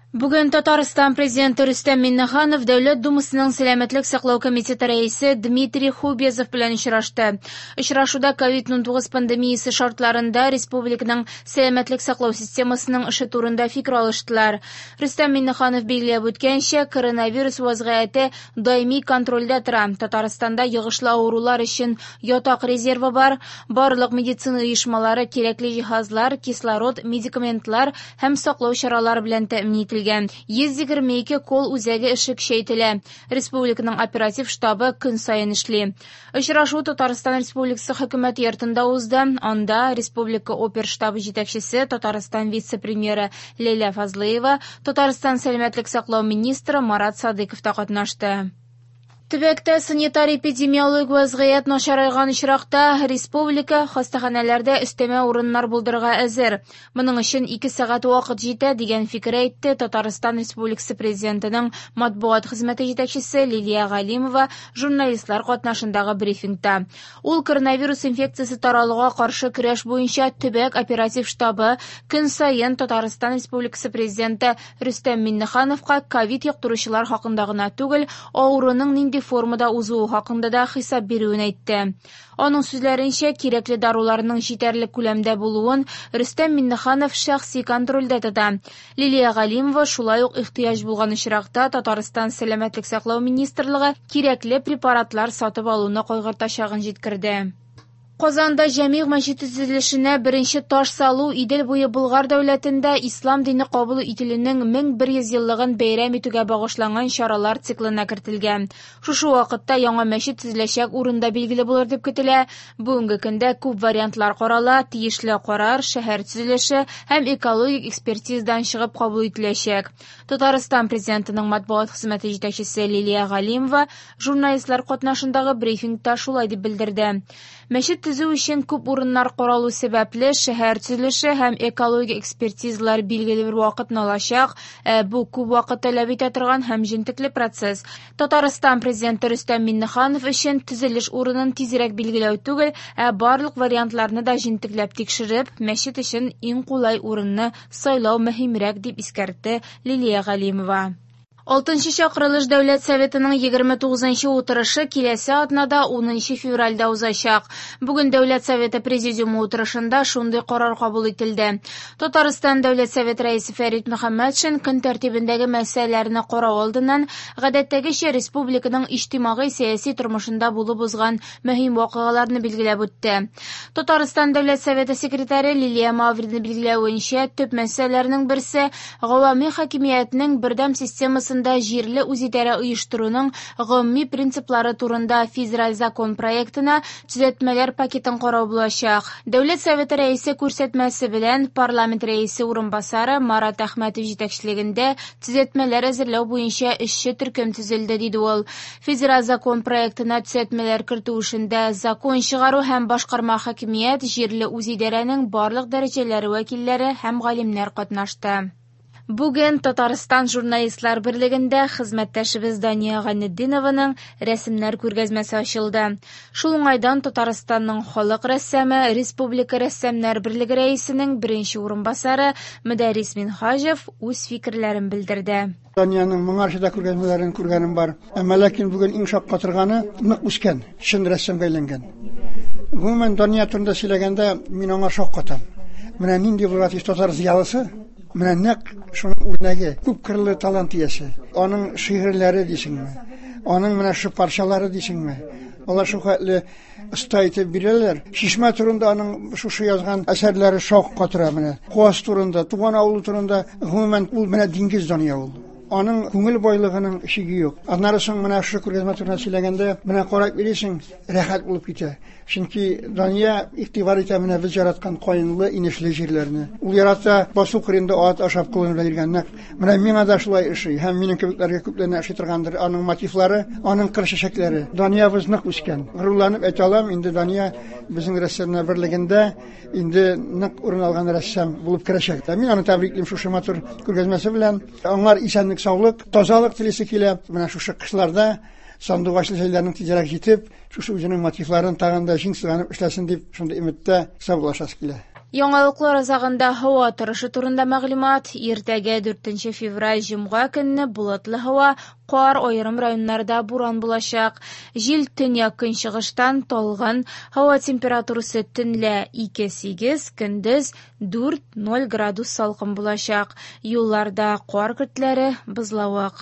Бүген Татарстан Президенты Рөстәм Миңнеханов Дәүләт Думасының Сәламәтлек саклау комитеты рәисе Дмитрий Хубезов белән очрашты. Очрашуда COVID-19 пандемиясе шартларында республиканың сәламәтлек саклау системасының эше турында фикер алыштылар. Рөстәм Миңнеханов билгеләп үткәнчә, коронавирус вазгыяте даими контрольдә тора. Татарстанда йогышлы авырулар өчен ятак резервы бар. Барлык медицина оешмалары кирәкле җиһазлар, кислород, медикаментлар һәм саклау чаралары белән тәэмин ителгән. 122 колл-үзәге эше көчәйтелә. Республиканың оператив штабы көн саен эшли. Очрашу Татарстан Республикасы Хөкүмәт йортында узды. Анда республика оперштабы җитәкчесе, Татарстан вице-премьеры Ләйлә Фазлыева, Татарстан сәламәтлек саклау министры Марат Садыйков та катнашты. Төбәктә санитар-эпидемиологик вазгыять начарайган очракта республика хастаханәләрдә өстәмә урыннар булдырырга әзер. Моның өчен 2 сәгать вакыт җитә, дигән фикер әйтте Татарстан Республикасы Президентының матбугат хезмәте җитәкчесе Лилия Галимова журналистлар катнашындагы брифингта. Ул коронавирус инфекциясе таралуга каршы көрәш буенча төбәк оператив штабы көн саен Татарстан Республикасы Президенты Рөстәм Миңнехановка ковид йоктыручылар хакында гына түгел, авыруның нинди формада узуы хакында да хисап бирүен әйтте. Аның сүзләренчә, кирәкле даруларның җитәрлек күләмдә булуын Рөстәм Миңнеханов шәхси контрольдә тота. Лилия Галимова шулай ук ихтыяҗ булган очракта Татарстан Сәламәтлек саклау министрлыгы кирәкле препаратлар сатып алуны кайгыртачагын җиткерде. Казанда Җәмигъ мәчете төзелешенә беренче таш салу Идел буе Болгар дәүләтендә ислам дине кабул ителүнең 1100 еллыгын бәйрәм итүгә багышланган чаралар циклына кертелгән. Шушы вакытта яңа мәчет төзеләчәк урын да билгеле булыр дип көтелә. Бүгенге көндә күп вариантлар карала, тиешле карар шәһәр төзелеше һәм экологик экспертизадан чыгып кабул ителәчәк. Татарстан Президентының матбугат хезмәте җитәкчесе Лилия Галимова журналистлар катнашындагы брифингта шулай дип белдерде. Мәчет төзү өчен күп урыннар каралу сәбәпле, шәһәр төзелеше һәм экологик экспертизалар билгеле бер вакытны алачак. Ә бу күп вакыт таләп итә торган һәм җентекле процесс. Татарстан Президенты Рөстәм Миңнеханов өчен төзелеш урынын тизрәк билгеләү түгел, ә барлык вариантларны да җентекләп тикшереп, мәчет өчен иң кулай урынны сайлау мөһимрәк, дип искәртте Лилия Галимова. Алтынчы чакырылыш Дәүләт Советының 29 утырышы киләсе атнада 10 февральдә узачак. Бүген Дәүләт Советы Президиумы утырышында шундый карар кабул ителде. Татарстан Дәүләт Советы рәисе Фәрит Мөхәммәтшин көн тәртибендәге мәсьәләләрне карау алдыннан гадәттәгечә республиканың иҗтимагый-сәяси тормышында булып узган мөһим вакыйгаларны билгеләп үтте. Татарстан Дәүләт Советы секретаре Лилия Маврина билгеләвенчә, төп мәсьәләләрнең берсе гавами хакимиятнең бердәм системасында җирле үзидарә оештыруның гомуми принциплары турында федераль закон проектына төзәтмәләр пакетын карау булачак. Дәүләт Советы рәисе күрсәтмәсе белән парламент рәисе урынбасары Марат Әхмәтов җитәкчелегендә төзәтмәләр әзерләү буенча эшче төркем төзелде, диде ул. Федераль закон проектына төзәтмәләр кертү эшендә закон чыгару һәм башкарма хакимият, җирле үзидарәнең барлык дәрәҗәләре вәкилләре һәм галимнәр катнашты. Бүген Татарстан журналистлар берлегендә хезмәттәшебез Дания Гайнетдинованың рәсемнәр күргәзмәсе ачылды. Шул уңайдан Татарстанның халык рәссамы, Республика рәссамнар берлеге рәисенең беренче урынбасары Мөдәррис Минһаҗев үз фикерләрен белдерде. Данияның моңарчы да күргәзмәләрен күргәнем бар. Әмма ләкин бүген иң шаккатырганы нык үскән, чын рәссамга әйләнгән. Гомумән, Дания турында сөйләгәндә мин аңа шаккатам. Менә нинди булырга тиеш татар зыялысы, менә нәкъ шуның үрнәге, күп кырлы талант иясе. Аның шигырьләре дисеңме, аның менә шушы парчалары дисеңме, алар шул хәтле оста итеп бирәләр. Чишмә турында аның шушы язган әсәрләре шаккатыра менә. Куас турында, туган авылы турында, гомумән, ул менә диңгез Дания ул. Аның күңел байлыгының чиге юк. Аннары соң менә шушы күргәзмә турында сөйләгәндә, менә карап йөрисең, рәхәт булып китә. Чөнки Дания игътибар итә менә без яраткан каенлы, инешле җирләрне. Ул ярата басу кырында ат ашап колын белән йөргән нәкъ. Менә миңа да шулай ошый һәм минем кебекләргә күпләренә ошый торгандыр аның мотивлары, аның кыр чәчәкләре. Даниябыз нык үскән. Горурланып әйтә алам, инде Дания безнең рәссамнар берлегендә инде нык урын алган рәссам булып керәчәк. Мин аны тәбриклим шушы матур күргәзмәсе белән. Аңар исәнлек, саулык, тазалык телисе килә. Менә шушы кышларда сандугачлы җәйләрнең тизрәк җитеп, шушы үзенең мотивларын тагын да җиң сызганып эшләсен дип, шундый өметтә саубуллашасы килә. Яңалыклар азагында һава торышы турында мәгълүмат. Иртәгә 4 февраль җомга көнне болытлы һава, кар, аерым районнарда буран булачак. Җил төньяк-көнчыгыштан талгын, һава температурасы төнлә 2-8, көндез 4-0 градус салкын булачак. Юлларда кар көртләре, бозлавык.